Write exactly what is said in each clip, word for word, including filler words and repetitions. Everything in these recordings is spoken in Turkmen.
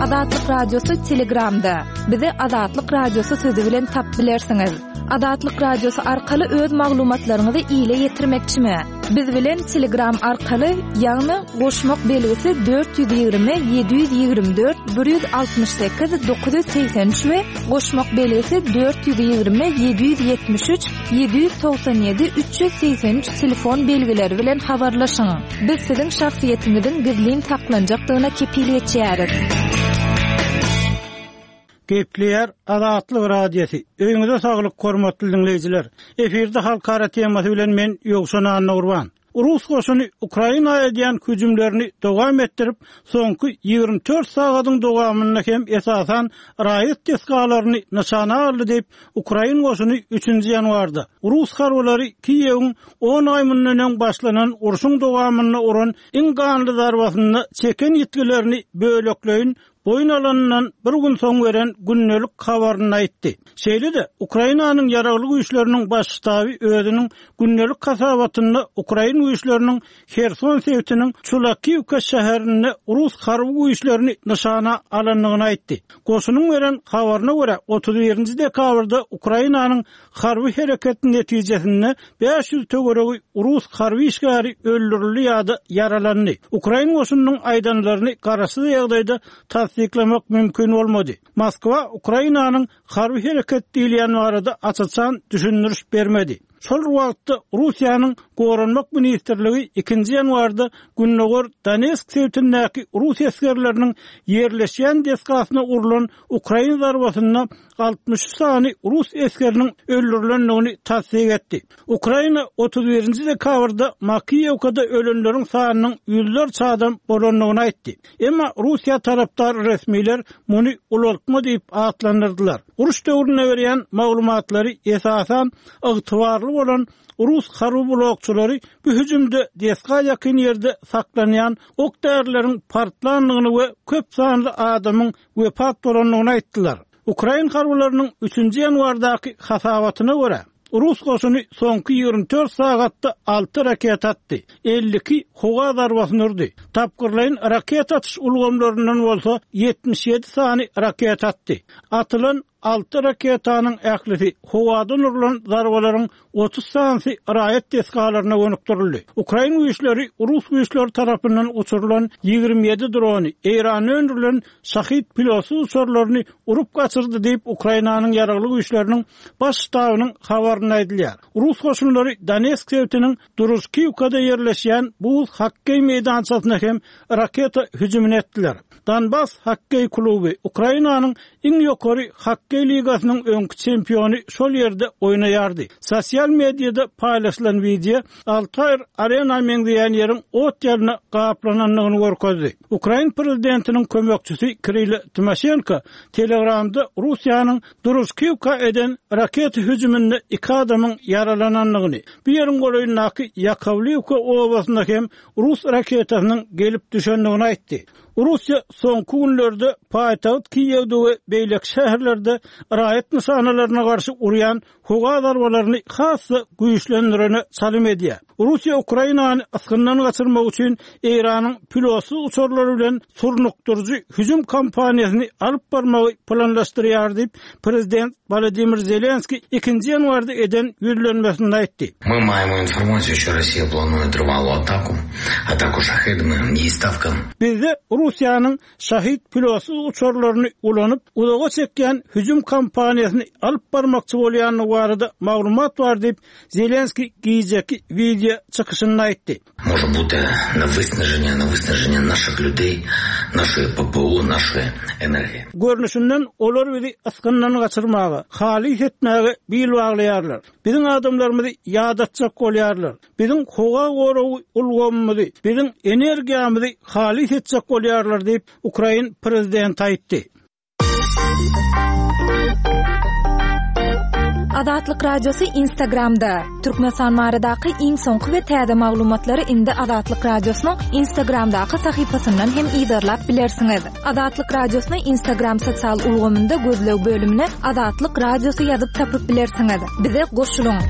Azatlyk Radiosy Telegramda. Bizi Azatlyk Radiosy sözi bilen tapyp bilersiňiz. Azatlyk Radiosy arkaly öz maglumatlaryňyzy ile ýetirmekçimi? Biz bilen Telegram arkaly, ýagny goşmak belgisi dört ýüz ýigrimi ýedi ýüz ýigrimi dört bir ýüz altmyş sekiz dokuz ýüz segsen üç we goşmak belgisi dört ýüz ýigrimi ýedi ýüz ýetmiş üç ýedi ýüz togsan ýedi üç ýüz segsen üç telefon belgileri bilen habarlaşyň. Biz siziň şahsyýetiňiziň gizlin saklanjakdygyna kepil geçýäris. Gepleýär Azatlyk Radiosy. Öýüňize saglyk, hormatly diňleýjiler. Efirde halkara temasy bilen men Ýowşan Annagurban. Rus goşuny Ukraina edýän hüjümlerini dowam etdirip, soňky ýigrimi dört sagadyň dowamynda hem esasan raýat desgalaryny nyşana aldy diýip, ukrain goşuny üçünji ýanwarda rus harbylary Kiýewiň on aý mundan öň başlanan urşuň dowamynda uran iň ganly zarbasynda çeken ýitgilerini bölekleýin boýun alanyndan bir gün soň beren gündelik habarynda aýtdy. Şeýle-de, Ukrainanyň ýaragly güýçleriniň baş ştaby özüniň gündelik hasabatynda ukrain güýçleriniň Herson sebitiniň Çulakiwka şäherinde rus harby güýçlerini nyşana alandygyny aýtdy. Goşunyň beren habaryna görä, otuz birinji dekabrda Ukrainanyň harby hereketi netijesinde bäş ýüz töweregi rus harby işgäri öldürildi ýa-da ýaralandy. Ukrain goşunynyň aýdanlaryny garaşsyz ýagdaýda tassyklamak mümkin bolmady. Moskwa Ukrainanyň harby hereket diýilýän barada aç-açan düşündiriş bermedi. Şol bir wagtda Russiýanyň Goranmak ministrligi ikinji ýanwarda Gündogar Donetsk sebitindäki rus esgerleriniň ýerleşýän desgasyna urlan ukrain zarbasynda altmyş üç sany rus esgeriniň öldürilendigini tassyk etdi. Ukraina otuz birinji dekabrda Makiýewkada ölenleriň sanynyň ýüzlerçe adam bolandygyny aýtdy. Emma Russiýa tarapdar resmiler muny ulaltma diýip atlandyrdylar. Uruş döwründe berýän maglumatlary esasan ygtybarly bolan rus harby blokçylary bu hüjümde desga ýakyn ýerde saklanýan ok-därileriň partlandygyny we köp sanly adamyň wepat bolandygyny aýtdylar. Ukrain harbylarynyň üçünji ýanwardaky hasabatyna görä, rus goşuny soňky ýigrimi dört sagatda alty raketa atdy, elli iki howa zarbasyny urdy. Tapgyrlaýyn raketa atyş ulgamlaryndan bolsa ýetmiş ýedi sany raketa atdy. Atylan alty raketanyň ählisi howadan urlan zarbalaryň otuz sanysy raýat desgalaryna gönükdirildi. Ukrain güýçleri rus güýçleri tarapyndan uçurylan ýigrimi ýedi drony, Eýranda öndürilen Şahid pilotsyz uçarlaryny urup gaçyrdy diýip Ukrainanyň ýaragly güýçleriniň baş ştabynyň habarynda aýdylýar. Rus goşunlary Donetsk sebitiniň Družkiwkada ýerleşýän buz hokkeý meýdançasyna hem raketa hüjümini etdiler. Donbas hokkeý kluby Ukrainanyň iň ýokary hokkeý ligasynyň öňki çempiony şol ýerde oýnaýardy. Sosial mediada paýlaşylan wideo Altair Arena meňzeýän ýeriň ot ýerine gaplanandygyny görkezdi. Ukrain prezidentiniň kömekçisi Kiril Timoşenko Telegramda Russiýanyň Družkiwka eden raketa hüjüminde iki adamyň ýaralanandygyny, bu ýeriň golaýyndaky Ýakowliwka obasynda hem rus raketasynyň gelip düşendigini aýtdy. Russiýa soňky günlerde paýtagt Kiýewde we beýleki şäherlerde raýat nyşanalaryna garşy urýan howa zarbalaryny has-da güýçlendirene çalym edýär. Russiýa Ukrainany ysgyndan gaçyrmak üçin Eýranyň pilotsyz uçarlary bilen surnukdyryjy hüjüm kampaniýasyny alyp barmagy planlaşdyrýar diýip, prezident Wladimir Zelenskiý ikinji ýanwarda eden ýüzlenmesinde aýtdy. Мы маем информацию, что Россия планует рвалую атаку, атаку шахедами, есть ставка. Bizde Russiýanyň Şahid pilotsyz uçarlaryny ulanyp, uzaga çekýän hüjüm kampaniýasyny alyp barmakçy bolýandygy barada maglumat bar diýip, Zelenskiý gijeki wideo çykyşynda aýtdy. Может быть, на виснажение, на виснажение наших людей, нашей ППО, нашей энергии. Görnüşinden olar bizi ysgyndan gaçyrmaga, halys etmäge bil baglaýarlar. Biziň adamlarymyzy ýadatjak bolýarlar. Biziň howa goragy ulgamymyzy, biziň energiýamyzy halys etjek bolýarlar diýip, Ukrain prezidenti aýtdy. Azatlyk Radiosy Instagramda. Türkmenistan baradaky iň soňky we täze maglumatlary indi Azatlyk Radiosynyň Instagramdaky sahypasyndan hem yzarlap bilersiňiz. Azatlyk Radiosyny Instagram sosial ulgamynda gözleg bölümine Azatlyk Radiosy ýazyp tapyp bilersiňiz. Bize goşulyň.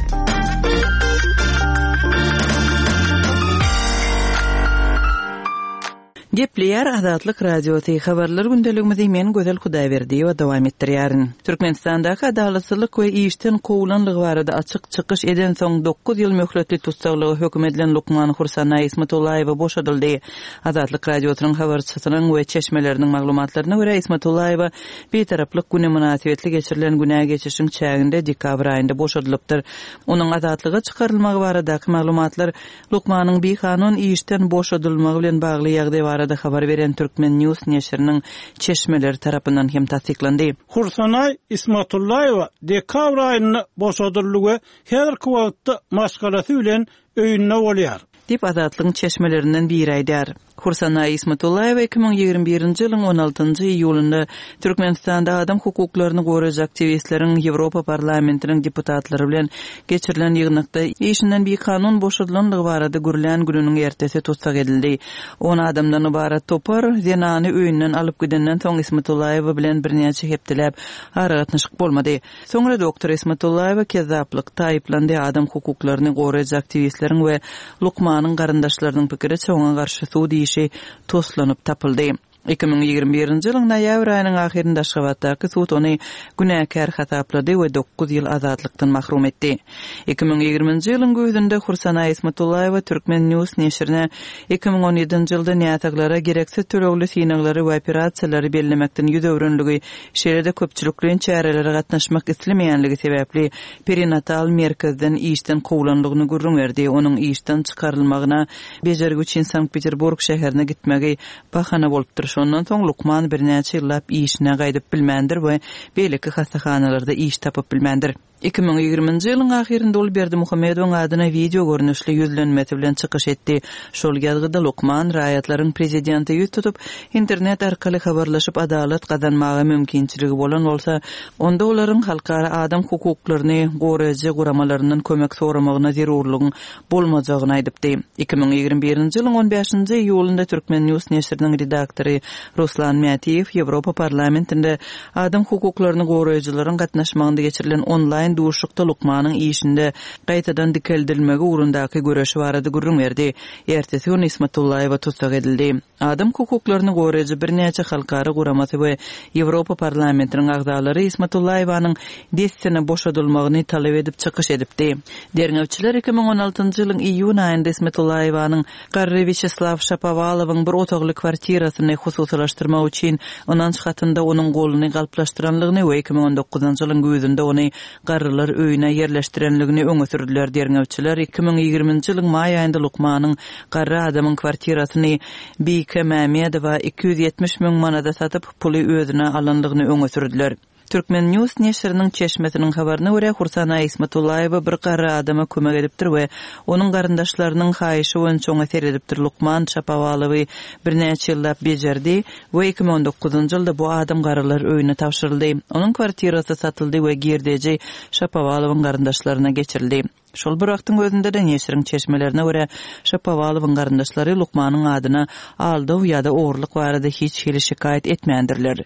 Gepleýär Azatlyk Radiosy habarlar gündeligimizi men Gözel Hudaýberdiýewa dowam etdirýärin. Türkmenistandaky adalatsyzlyk we işden kowulanlygy barada açyk çykyş eden soň dokuz ýyl möhletli tussaglyga höküm edilen lukman Hursanaý Ismatullaýewa boşadyldy. Azatlyk Radiosynyň habarçysynyň we çeşmeleriniň maglumatlaryna görä Ismatullaýewa Bitaraplyk güni mynasybetli geçirilen günä geçişiň çäginde dekabr aýynda boşadylypdyr. Onuň azatlyga çykarylmagy baradaky maglumatlar lukmanyň bikanun işden boşadylmagy bilen bagly ýagdaý barada habar beren Türkmen News neşiriniň çeşmeleri tarapyndan hem tassyklandy. Hursanaý Ismatullaýewa dekabr aýynda boşadyldy we häzirki wagtda maşgalasy bilen öýünde bolýar. Diýip Azatlygyň çeşmelerinden biri aýdar. Hursanaý Ismatullaýewa iki müň ýigrimi birinji ýylyň on altynjy iýulynda Türkmenistanda adam hukuklaryny goraýjy aktiwistleriň Ýewropa parlamentiniň deputatlary bilen geçirilen ýygnakda işinden bikanun boşadylanlygy barada gürlän gününiň ertesi tussag edildi. On adamdan ybarat topar zenany öýünden alyp gidenden soň Ismatullaýewa bilen birnäçe hepdeläp aragatnaşyk bolmady. Soňra doktor Ismatullaýewa kezzaplykda aýyplandy, adam hukuklaryny goraýjy aktiwistleriň we lukmanyň garyndaşlarynyň pikiriçe oňa garşy sud işi toslanyp tapyldy. Iki müň ýigrimi birinji ýylyň noýabr aýynyň ahyrynda Aşgabatdaky sud ony günäkär hasaplady we dokuz ýyl azatlykdan mahrum etdi. Iki müň ýigriminji ýylyň güýzünde Hursanaý Ismatullaýewa Türkmen News neşirine iki müň on ýedinji ýylda näsaglara gereksiz tölegli synaglary we operasiýalary bellemekden ýüz öwrenligi, şeýle-de köpçülikleýin çärelere gatnaşmak islemeýänligi sebäpli perinatal merkezden işden kowulanlygyny gürrüň berdi. Onuň işden çykarylmagyna bejergi üçin Sankt-Peterburg şäherine gitmegi bahana bolupdyr. Şondan soň lukman birnäçe ýyllap işine gaýdyp bilmändir we beýleki hassahanalarda iş tapyp bilmändir. Iki müň ýigriminji ýylyň ahyrynda ol Berdimuhamedowyň adyna video görnüşli ýüzlenmesi bilen çykyş etdi. Şol ýazgyda lukman raýatlaryň prezidente ýüz tutup, internet arkaly habarlaşyp adalat gazanmaga mümkinçiligi bolan bolsa, onda olaryň halkara adam hukuklaryny goraýjy guramalaryndan kömek soramagyna zerurlygyň bolmajagyny aýdypdy. Iki müň ýigrimi birinji ýylyň on bäşinji iýulynda Türkmen News neşiriniň redaktory Ruslan Mätiýew Ýewropa parlamentinde adam hukuklaryny goraýjylaryň gatnaşmagynda geçirilen onlaýn duşuşykda lukmanyň işinde gaýtadan dikeldilmegi ugrundaky göreşi barada gürrüň berdi. Ertesi gün Ismatullaýewa tussag edildi. Adam hukuklaryny goraýjy birnäçe halkara guramasy we Ýewropa parlamentiniň agzalary Ismatullaýewanyň dessine boşadylmagyny talap edip çykyş edipdi. Derňewçiler iki müň on altynjy ýylyň iýun aýynda Ismatullaýewanyň garry Wýaçeslaw Şapowalowyň bir otagly kwartirasyny hususylaşdyrmak üçin ynanç hatynda onuň goluny galplaşdyranlygyny we iki müň on dokuzynjy ýylyň güýzünde ony garrylar öýüne ýerleşdirenligini öňe sürdüler. Derňewçiler iki müň ýigriminji ýylyň maý aýynda lukmanyň garry adamyň kwartirasyny Bike Mämmedowa iki ýüz ýetmiş müň manada satyp, puly özüne alanlygyny öňe sürdüler. Türkmen News neşiriniň çeşmesiniň habaryna görä Hursanaý Ismatullaýewa bir garry adama kömek edipdir we onuň garyndaşlarynyň haýyşy boýunça oňa seredipdir. Lukman Şapowalowy birnäçe ýyllap bejerdi we iki müň on dokuzynjy ýylda bu adam garrylar öýüne tabşyryldy. Onuň kwartirasy satyldy we girdeji Şapowalowyň garyndaşlaryna geçirildi. Şol bir wagtyň özünde de neşiriň çeşmelerine görä Şapowalowyň garyndaşlary lukmanyň adyna aldaw ýa-da ogurlyk barada hiç hili şikaýat etmändirler.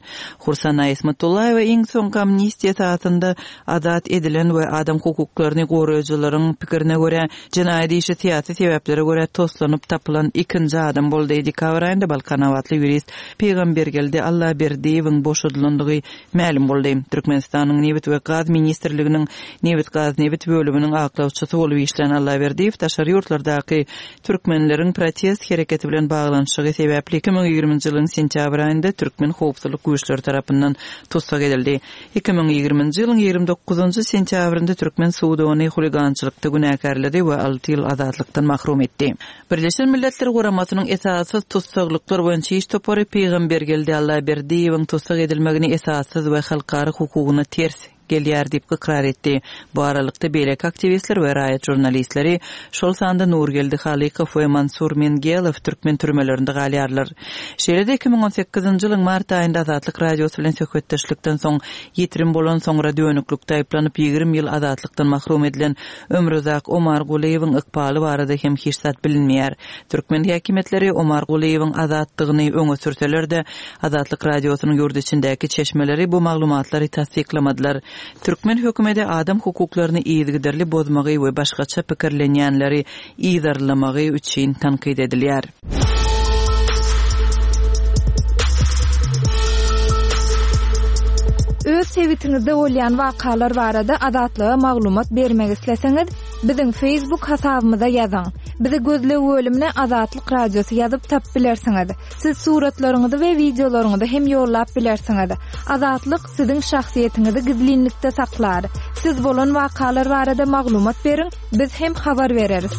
Hursanaý Ismatullaýewa iň soňky amnistiýa esasynda azat edilen we adam hukuklaryny goraýjylaryň pikirine görä jenaýat işi syýasy sebäplere görä toslanyp tapylan ikinji adam boldy. Dekabr aýynda Balkanabatly ýurist Pygambergeldi Allaberdiýewiň boşadylandygy mälim boldy. Türkmenistanyň Nebit we Gaz ministrliginiň Nebit Gaz Nebit bölüminiň aklawçysy bolup işlän Allaberdiýew daşary ýurtlardaky türkmenleriň protest hereketi bilen baglanyşygy sebäpli iki müň ýigriminji ýylyň sentýabr aýynda türkmen howpsuzlyk güýçleri tarapyndan tussag edildi. Iki müň ýigriminji ýylyň ýigrimi dokuzynjy sentýabrynda türkmen sudy ony huligançylykda günäkärledi we alty ýyl azatlykdan mahrum etdi. Birleşen Milletler Guramasynyň esassyz tussaglyklar boýunça iş topary Pygambergeldi Allaberdiýewiň tussag edilmegini esassyz we halkara hukugyna ters gelýär diýip ykrar etdi. Bu aralykda beýleki aktiwistler we raýat žurnalistleri, şol sanda Nurgeldi Halykow we Mansur Mengelow türkmen türmelerinde galýarlar. Şeýle-de iki müň on sekizinji ýylyň mart aýynda Azatlyk Radiosy bilen söhbetdeşlikden soň ýitirim bolan soňra dönüklikde aýyplanyp ýigrimi ýyl azatlykdan mahrum edilen Ömruzak Omar Gulyýewiň ykbaly barada hem hiç zat bilinmeýär. Türkmen häkimiýetleri Omar Gulyýewiň azatlygyny öňe sürseler-de, Azatlyk Radiosynyň ýurt içindäki çeşmeleri bu maglumatlary tassyklamadylar. Türkmen hökümeti adam hukuklaryny yzygiderli bozmagy we başgaça pikirlenýänleri yzarlamagy üçin tankyt edilýär. Öz sebitiňizde bolýan wakalar barada Azatlyga maglumat bermek isleseňiz, biziň Facebook hasabymyza ýazyň. Bizi gözleg bölümine Azatlyk Radiosy ýazyp tapyp bilersiňiz. Siz suratlaryňyzy we wideolaryňyzy hem ýollap bilersiňiz. Azatlyk siziň şahsyýetiňizi gizlinlikde saklar. Siz bolan wakalar barada maglumat beriň, biz hem habar bereris.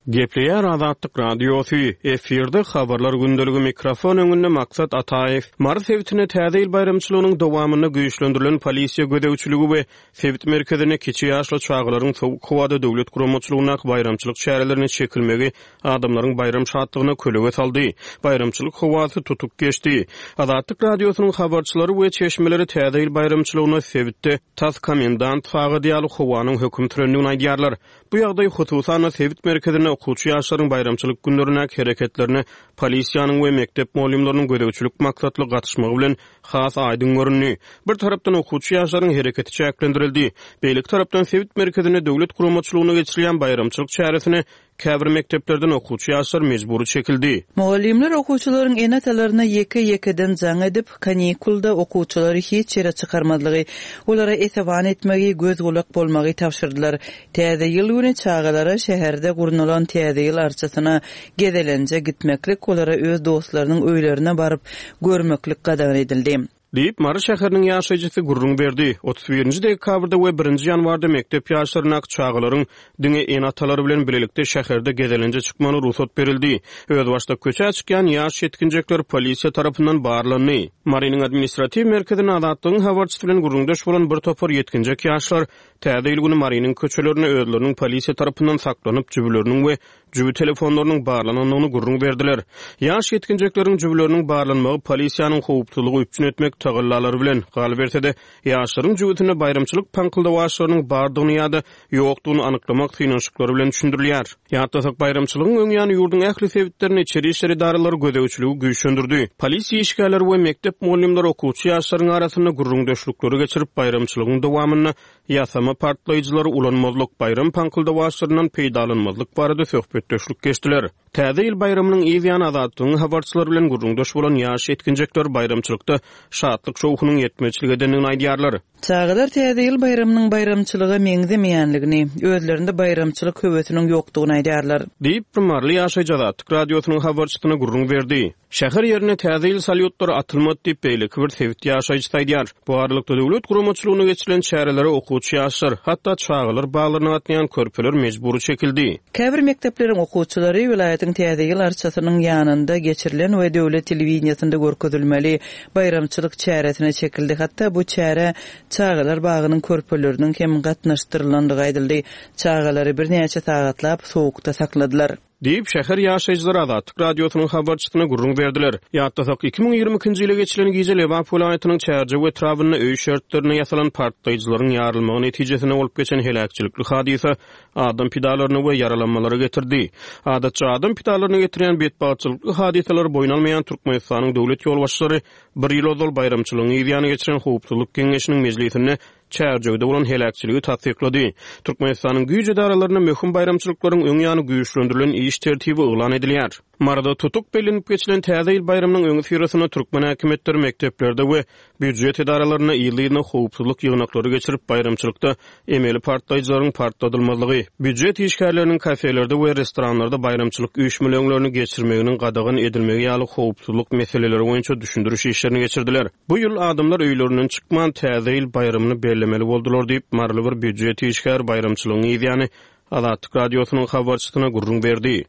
Gepleýär Azatlyk Radiosy, efirde habarlar gündeligi, mikrofon öňünde Maksat Ataýew. Mary sebitinde Täze ýyl baýramçylygynyň dowamynda güýçlendirilen polisiýa gözegçiligi we sebit merkezinde kiçi ýaşly çagalaryň sowuk howada döwlet guramaçylygyndaky baýramçylyk çärelerine çekilmegi adamlaryň baýram şatlygyna kölege saldy. Baýramçylyk howasy tutuk geçdi. Azatlyk Radiosynyň habarçylary we çeşmeleri Täze ýyl baýramçylygyna sebitde tas komendant sagady ýaly howanyň höküm sürendigini aýdýarlar. Bu ýagdaý hususan sebit merkezinde okuwçy ýaşlaryň baýramçylyk günlerindäki hereketlerine polisiýanyň we mekdep mugallymlarynyň gözegçilik maksatly gatyşmagy bilen has aýdyň göründi. Bir tarapdan okuwçy ýaşlaryň hereketi çäklendirildi. Beýleki tarapdan sebit merkezinde döwlet guramaçylygynda geçirilýän baýramçylyk çäresine käbir mekdeplerden okuwçy ýaşlar mejbury çekildi. Mugallymlar okuwçylaryň ene-atalaryna ýeke-ýekeden jaň edip, kanikulda okuwçylary hiç ýere çykarmazlygy, olara esewan etmegi, göz gulak bolmagy tabşyrdylar. Täze ýyl güni çagalara şäherde gurnalan Täze ýyl arçasyna gezelenje gitmeklik, olara öz dostlarynyň öýlerine baryp görmeklik gadagan edildi. Diýip, Mary şäheriniň ýaşaýjysy gürrüň berdi. otuz birinji dekabrda we birinji ýanwarda mekdep ýaşlaryndaky çagalaryň diňe ene-atalary bilen birlikde şäherde gezelenje çykmagyna rugsat berildi. Özbaşdak köçä çykýan ýaş ýetginjekler polisiýa tarapyndan barlandy. Marynyň administratiw merkezinde Azatlygyň habarçysy bilen gürrüňdeş bolan bir topar ýetginjek ýaşlar Täze ýyl güni Marynyň köçelerinde özleriniň polisiýa tarapyndan saklanyp, jübüleriniň we jübi telefonlarynyň barlanandygyny gürrüň berdiler. Ýaş ýetginjekleriň jübüleriniň barlanmagy polisiýanyň howpsuzlygy üpjün etmek tagallalary bilen, galyberse-de, ýaşlaryň jübüsinde baýramçylyk paňkyldawaçlarynyň bardygyny ýa-da ýokdugyny anyklamak synanyşyklary bilen düşündirilýär. Ýatlasak, baýramçylygyň öň ýany ýurduň ähli sebitlerinde içeri işler edaralary gözegçiligi güýçlendirdi. Polisiýa işgärleri we mekdep mugallymlary okuwçy ýaşlaryň arasynda gürrüňdeşlikleri geçirip, baýramçylygyň dowamynda ýasama partlaýjylary ulanmazlyk, baýram paňkyldawaçlaryndan peýdalanmazlyk barada söhbetdeşlik geçdiler. Täze ýyl baýramynyň yz ýany Azatlygyň habarçylary bilen gürrüňdeş bolan ýaş ýetginjekler baýramçylykda şatlyk şowhunyň ýetmezçilik edendigini aýdýarlar. Çagalar Täze ýyl baýramynyň baýramçylyga meňzemeýänligini, özlerinde baýramçylyk höwesiniň ýokdugyny aýdýarlar. Diýip, maryly ýaşaýjy Azatlyk Radiosynyň habarçysyna gürrüň berdi. Şäher ýerine Täze ýyl salýutlary atylmady diýip, beýleki bir sebit ýaşaýjysy aýdýar. Bu aralykda döwlet guramaçylygynda geçirilen çärelere okuwçy ýaşlar, hatda çagalar baglaryna gatnaýan körpeler mejbury çekildi. Käbir mekdepleriň okuwçylary welaýatyň Täze ýyl arçasynyň ýanynda geçirilen we döwlet telewideniýesinde görkezilmeli baýramçylyk çäresine çekildi. Hatda bu çäre çagalar bagynyň körpeleriniň hem gatnaşdyrylandygy aýdyldy. Çagalary birnäçe sagatlap sowukda sakladylar. Diýip, şäher ýaşaýjylary Azatlyk Radiosynyň habarçysyna gürrüň berdiler. Ýatlasak, iki müň ýigrimi ikinji ýyly geçirilen gije Lebap welaýatynyň Çärjew etrabynda öý şertlerinde ýasalan partlaýjylaryň ýarylmagy netijesinde bolup geçen heläkçilikli hadysa adam pidalaryna we ýaralanmalara getirdi. Adatça adam pidalaryna getirýän betbagtçylykly hadysalary boýun almaýan Türkmenistanyň döwlet ýolbaşçylary bir ýyl ozal baýramçylygyň yzýany geçiren Howpsuzlyk Geňeşiniň mejlisinde Çärjewde bolan heläkçiligi tassyklady. Türkmenistanyň güýç edaralarynda möhüm baýramçylyklaryň öň ýany güýçlendirilen iş tertibi yglan edilýär. Maryda tutuk bellenip geçilen Täze ýyl baýramynyň öňüsyrasynda türkmen häkimiýetleri mekdeplerde we býujet edaralarynda ýyly-ýylyna howpsuzlyk ýygnaklary geçirip, baýramçylykda emeli partlaýjylaryň partladylmazlygy, býujet işgärleriniň kafelerde we restoranlarda baýramçylyk üýşmeleňlerini geçirmeginiň gadagan edilmegi ýaly howpsuzlyk meseleleri boýunça düşündiriş işlerini geçirdiler. Bu ýyl adamlar öýlerinden çykman Täze ýyl baýramyny bellemeli boldular diýip, maryly bir býujet işgäri baýramçylygyň yzýany Azatlyk Radiosynyň habarçysyna gürrüň berdi.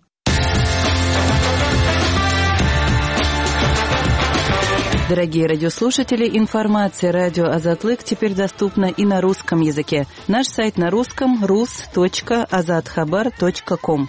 Дорогие радиослушатели, информация радио Азатлык теперь доступна и на русском языке. Наш сайт на русском rus.azathabar.com.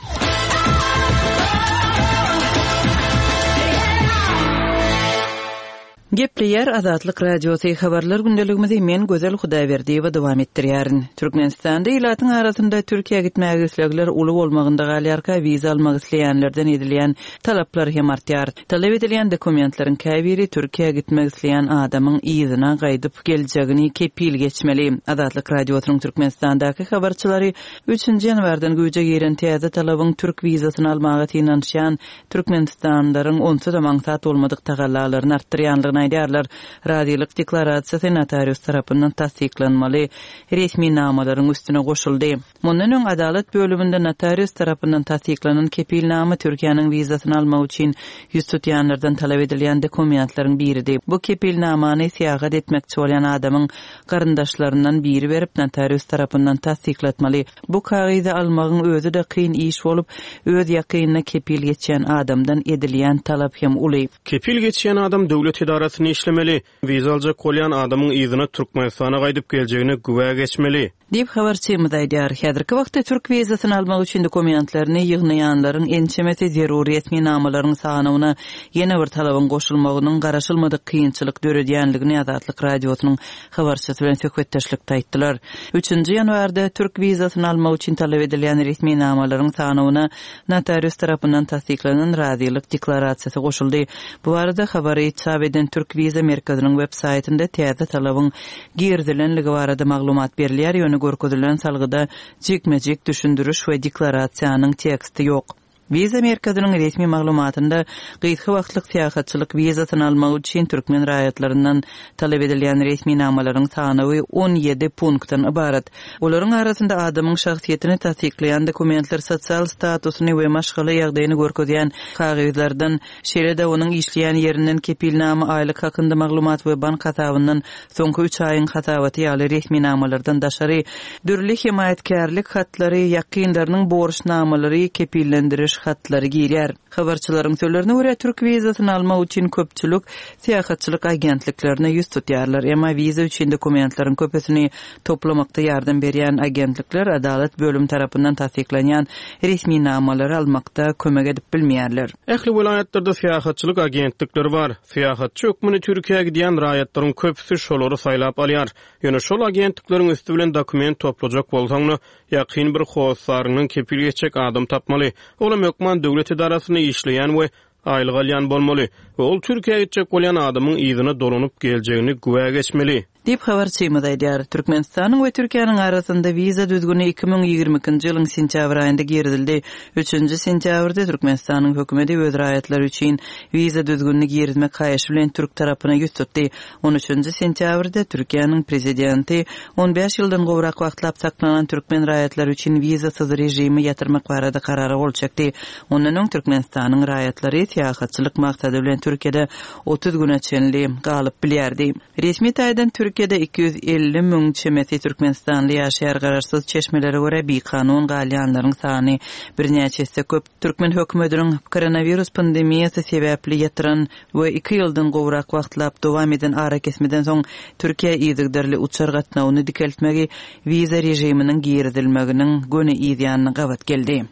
Gepleýär Azatlyk Radiosy, habarlar gündeligimizi men Gözel Hudaýberdiýewa dowam etdirýärin. Türkmenistanda ilatyň arasynda Türkiýä gitmäge islegler uly bolmagynda galýarka, wiza almak isleýänlerden edilýän talaplar hem artýar. Talap edilýän dokumentleriň käbiri Türkiýä gitmek isleýän adamyň yzyna gaýdyp geljegini kepil geçmeli. Azatlyk Radiosynyň Türkmenistandaky habarçylary üçünji ýanwardan güýje giren täze talabyň türk wizasyny almaga synanyşýan türkmenistanlylaryň onsuz-da aňsat bolmadyk tagallalaryny artdyrýandygyny boljakdygyny aýdýarlar. Razylyk deklarasiýasy notarius tarapyndan tassyklanmaly resminamalaryň üstüne goşuldy. Mundan öň adalat bölüminde notarius tarapyndan tassyklanan kepilnama Türkiýäniň wizasyny almak üçin ýüz tutýanlardan talap edilýän dokumentleriň biridi. Bu kepilnamany syýahat etmekçi bolýan adamyň garyndaşlaryndan biri berip notarius tarapyndan tassyklatmaly. Bu kagyzy almagyň özi-de kyn iş bolup, öz ýakynyna kepil geçýän adamdan edilýän talap hem uly. Kepil geçýän adam döwlet edarasynda işlemeli. Wiza aljak bolýan adamyň yzyna Türkmenistana gaýdyp geljegine güwä geçmeli. Diýip habarçymyz aýdýar. Häzirki wagtda türk wizasyny almak üçin dokumentlerini ýygnaýanlaryň ençemesi zerur resminamalaryň sanyna ýene bir talabyň goşulmagynyň garaşylmadyk kynçylyk döredýänligini Azatlyk radiosynyň habarçysy bilen söhbetdeşlikde aýtdylar. Üçünji ýanwarda türk wizasyny almak üçin talap edilýän resminamalaryň sanyna notarius tarapyndan tassyklanan razylyk deklarasiýasy goşuldy. Bu barada habary çap eden Türk Wiza merkeziniň web saýtynda täze talabyň girizilenligi barada maglumat berilýär, ýöne görkezilen salgyda jikme-jik düşündiriş we deklarasiýanyň teksti ýok. Wiza merkeziniň resmi maglumatynda gysga wagtlyk syýahatçylyk wizasyny almak üçin türkmen raýatlaryndan talap edilýän resminamalaryň sanawy on ýedi punktdan ybarat. Olaryň arasynda adamyň şahsyýetini tassyklaýan dokumentler, sosial statusyny we maşgala ýagdaýyny görkezýän kagyzlardan, şeýle-de onuň işleýän ýerinden kepilnama, aýlyk hakynda maglumat we bank hasabyndan soňky üç aýyň hasabaty ýaly resminamalardan daşary dürli hemaýatkärlik hatlary, ýakynlarynyň borçnamalary, kepillendiriş hatlary girýär. Habarçylaryň sözlerine görä türk wizasyny almak üçin köpçülik syýahatçylyk agentliklerine ýüz tutýarlar. Emma wiza üçin dokumentleriň köpüsini toplamakda ýardam berýän agentlikler adalat bölüm tarapyndan tassyklanýan resminamalary almakda kömek edip bilmeýärler. Ähli welaýatlarda syýahatçylyk agentlikleri bar. Syýahatçy hökmünde Türkiýä gidýän raýatlaryň köpüsi şolary saýlap alýar. Ýöne şol agentlikleriň üstü bilen dokument toplajak bolsaň, ýakyn bir hossarynyň kepil geçjek adam tapmaly. Olam hökman döwlet edarasynda işleýän we aýlyk alýan bolmaly we ol Türkiýä gitjek bolýan adamyň yzyna dolanyp geljegini güwä geçmeli. Diýip habarçymyz aýdýar. Türkmenistanyň we Türkiýäniň arasynda wiza düzgüni iki müň ýigrimi ikinji ýylyň sentýabr aýynda girizildi. Üçünji sentýabrda Türkmenistanyň hökümeti öz raýatlary üçin wiza düzgünini girizmek haýyşy bilen türk tarapyna ýüz tutdy. On üçünji sentýabrda Türkiýäniň prezidenti on bäş ýyldan gowrak wagtlap saklanan türkmen raýatlary üçin wizasyz režimi ýatyrmak barada karara gol çekdi. Ondan öň Türkmenistanyň raýatlary syýahatçylyk maksady bilen Türkiýede otuz güne çenli galyp bilýärdi. Resmi taýdan Türkiýede iki ýüz elli müň çemesi Türkmenistanly ýaşaýar garaşsyz çeşmelere görä bikanun galýanlaryň sany birnäçe esse köp. Türkmen hökümetiniň koronawirus pandemiýasy sebäpli ýatyran we iki ýyldan gowrak wagtlap dowam eden arakesmeden soň Türkiýe yzygiderli uçar gatnawyny dikeltmegi wiza režiminiň girizilmeginiň göni yzýanyna gabat geldi.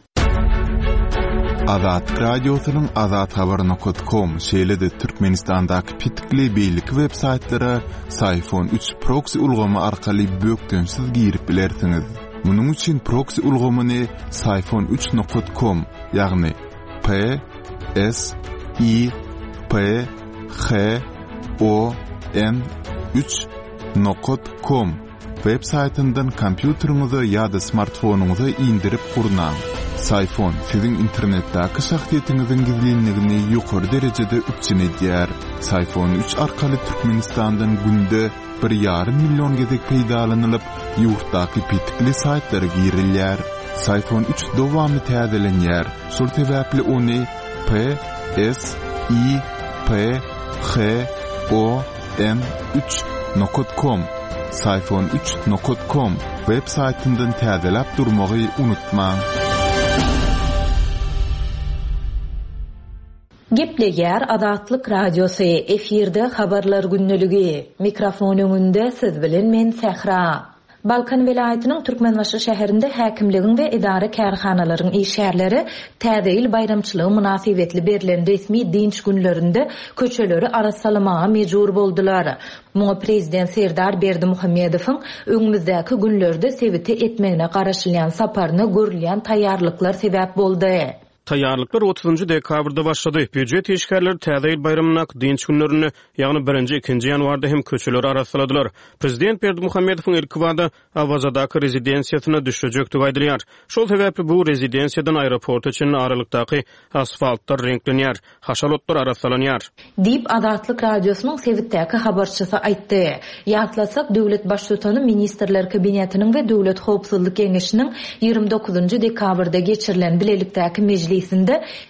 Azatlyk Radiosynyň azathabar nokta com şeýle-de Türkmenistandaky petikli beýleki web saýtlara Syfon üç proxy ulgamy arkaly bökdençsiz girip bilersiňiz. Munuň üçin proxy ulgamyny Syfon üç nokta com, ýagny P S I P H O N üç nokta com web saýtyndan kompýuteriňize ýa-da smartfonyňyza indirip gurnaň. Syfon siziň internetdäki şahsyýetiňiziň gizlinligini ýokary derejede üpjün edýär. Syfon üç arkaly Türkmenistandan günde bir ýarym million gezek peýdalanylyp, ýurtdaky petikli saýtlara girilýär. Syfon üç dowamly täzelenýär. Şol sebäpli ony P S I P H O N üç nokta com Syfon üç nokta com web saýtyndan täzeläp durmagy unutmaň. Gepleýär Azatlyk Radiosy, efirde habarlar gündeligi. Mikrofon öňünde siz bilen men Sähra. Balkan welaýatynyň Türkmenbaşy şäherinde häkimligiň we edara kärhanalaryň işgärleri Täze ýyl baýramçylygy mynasybetli berlen resmi dinç günlerinde köçeleri arassalamaga mejbur boldular. Muňa prezident Serdar Berdimuhamedowyň öňümizdäki günlerde sebite etmegine garaşylýan saparyna görülýän taýýarlyklar sebäp boldy. Taýýarlyklar otuzynjy dekabrda başlady. Býujet işgärleri Täze ýyl baýramyndaky dynç günlerinde, ýagny birinji, ikinji ýanwarda hem köçeleri arassaladylar. Prezident Berdimuhamedowyň ilkibada Awazadaky rezidensiýasyna düşlejekdigi aýdylýar. Şol sebäpli bu rezidensiýadan aeroporta çenli aralykdaky asfaltlar reňklenýär, haşal otlar arassalanýar. Diýip, Azatlyk Radiosynyň sebitdäki habarçysy aýtdy. Ýatlasak, döwlet Baştutany Ministrler Kabinetiniň we Döwlet howpsuzlyk geňeşiniň ýigrimi dokuzynjy dekabrda geçirilen bilelikdäki mejlisinde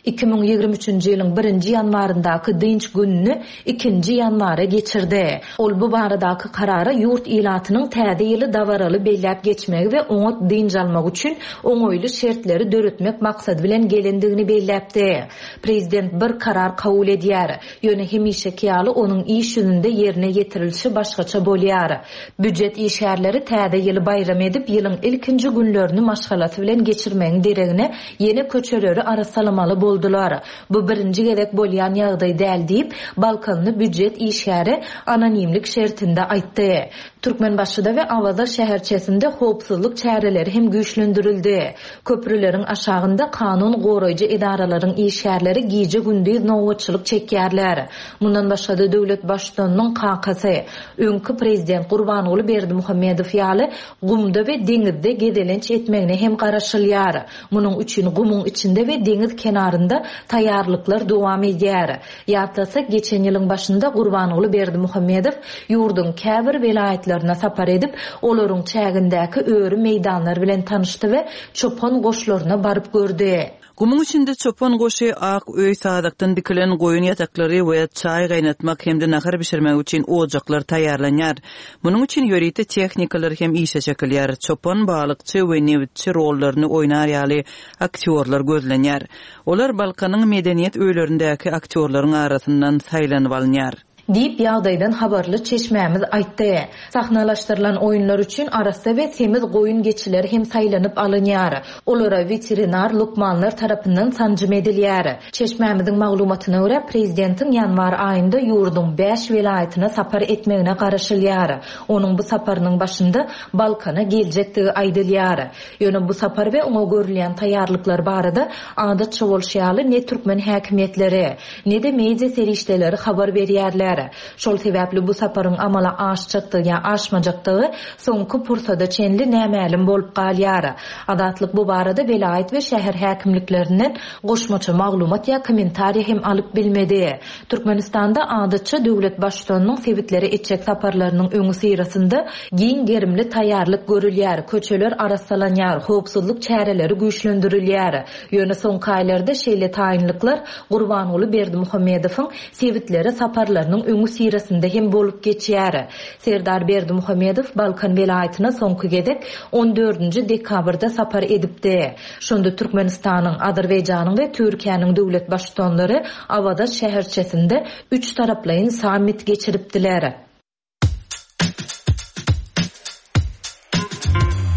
iki müň ýigrimi üçünji ýylyň birinji ýanwaryndaky dynç gününi ikinji ýanwara geçirdi. Ol bu baradaky karara ýurt ilatynyň täze ýyly dabaraly belläp geçmegi we oňat dynç almak üçin oňaýly şertleri döretmek maksady bilen gelendigini belläpdi. Prezident bir karar kabul edýär. Ýöne hemişeki ýaly onuň iş ýüzünde ýerine ýetirilişi başgaça bolýar. Býujet işgärleri täze ýyly baýram edip, ýylyň ilkinji günlerini maşgalasy bilen geçirmegiň deregine ýene köçeleri arassalamaly boldular. Bu birinji gezek bolýan ýagdaý däl diýip, Balkanly býujet işgäri anonimlik şertinde aýtdy. Türkmenbaşyda we Awaza şäherçesinde howpsuzlyk çäreleri hem güýçlendirildi. Köprüleriň aşagynda kanun goraýjy edaralaryň işgärleri gije-gündiz nobatçylyk çekýärler. Mundan başga-da döwlet baştutanynyň kakasy, öňki prezident Gurbanguly Berdimuhamedow ýaly gumda we deňizde gezelenç etmegine hem garaşylýar. Munuň üçin gumuň içinde we deňiz kenarynda taýýarlyklar dowam edýär. Ýatlasak, geçen ýylyň başynda Gurbanguly Berdimuhamedow ýurduň käbir welaýatlaryna sapar edip, olaryň çägindäki öri meýdanlar bilen tanyşdy we çopan goşlaryna baryp gördi. Gumuň içinde çopan goşy, ak öý sazakdan dikilen goýun ýataklary we çaý gaýnatmak hem-de nahar bişirmek üçin ojaklar taýýarlanýar. Munuň üçin ýörite tehnikalar hem işe çekilýär. Çopan, balykçy we nebitçi rollaryny oýnar ýaly aktýorlar gözlenýär. Olar Balkanyň medeniýet öýlerindäki aktýorlaryň arasyndan saýlanyp alynýar. Diýip, ýagdaýdan habarly çeşmämiz aýtdy. Sahnalaşdyrylan oýunlar üçin arassa we semiz goýun geçiler hem saýlanyp alynýar. Olara weterinar lukmanlar tarapyndan sanjym edilýär. Çeşmämiziň maglumatyna görä, prezidentiň ýanwar aýynda ýurduň bäş welaýatyna sapar etmegine garaşylýar. Onuň bu saparynyň başynda Balkana geljekdigi aýdylýar. Ýöne bu sapar we oňa görülýän taýýarlyklar barada adatça bolşy ýaly ne türkmen häkimiýetleri, ne-de media serişdeleri habar berýärler. Şol sebäpli bu saparyň amala aşjakdygy ýa aşmajakdygy soňky pursada çenli nämälim bolup galýar. Azatlyk bu barada welaýat we şäher häkimliklerinden goşmaça maglumat ýa kommentariýa hem alyp bilmedi. Türkmenistanda adatça döwlet baştutanynyň sebitlere etjek saparlarynyň öňi syrasynda giň gerimli taýýarlyk görülýär, köçeler arassalanýar, howpsuzlyk çäreleri güýçlendirilýär. Ýöne soňky aýlarda şeýle taýynlyklar Gurbanguly Berdimuhamedowyň sebitlere saparlarynyň öňi syrasynda hem bolup geçýär. Serdar Berdimuhamedow Balkan welaýatyna soňky gezek on dördünji dekabrda sapar edipdi. Şonda Türkmenistanyň, Azerbaýjanyň we Türkiýäniň döwlet baştutanlary Awaza şäherçesinde üç taraplaýyn sammit geçiripdiler.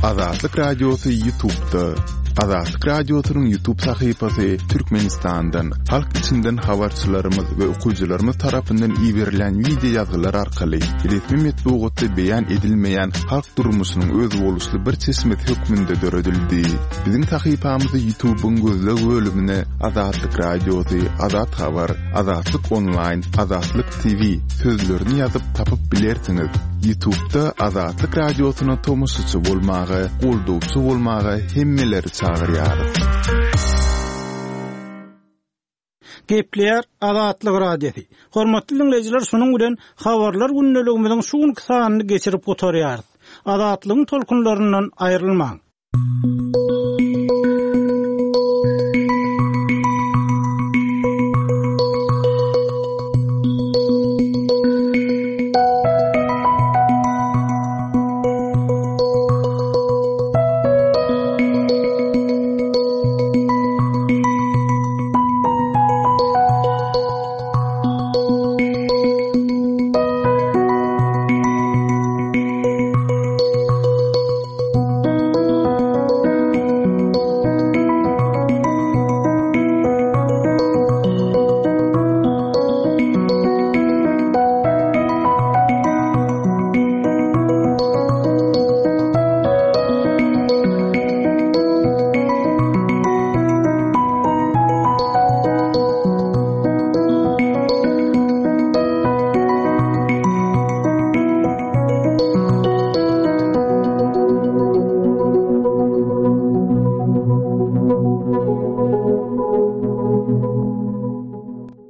Azatlyk Radiosy YouTube'da. Azatlyk Radiosynyň YouTube sahypasy Türkmenistandan, halk içinden habarçylarymyz we okyjylarymyz tarapyndan iberilen video ýazgylar arkaly resmi metbugatda beýan edilmeýän halk durmuşynyň özboluşly bir çeşmesi hökmünde döredildi. Biziň sahypamyzy YouTube'yň gözleg bölümine Azatlyk Radiosy, Azat Habar, Azatlyk Online, Azatlyk T V sözlerini ýazyp tapyp bilersiňiz. YouTube'da Azatlyk Radiosyna tomaşaçy bolmaga, goldawçy bolmaga hemmeleri çagyrýarys. Gepleýär Azatlyk Radiosy. Hormatly dinleýjiler, şunuň bilen habarlar gündeligimiziň şu günki sanyny geçirip gutarýarys. Azatlygyň tolkunlaryndan aýrylmaň.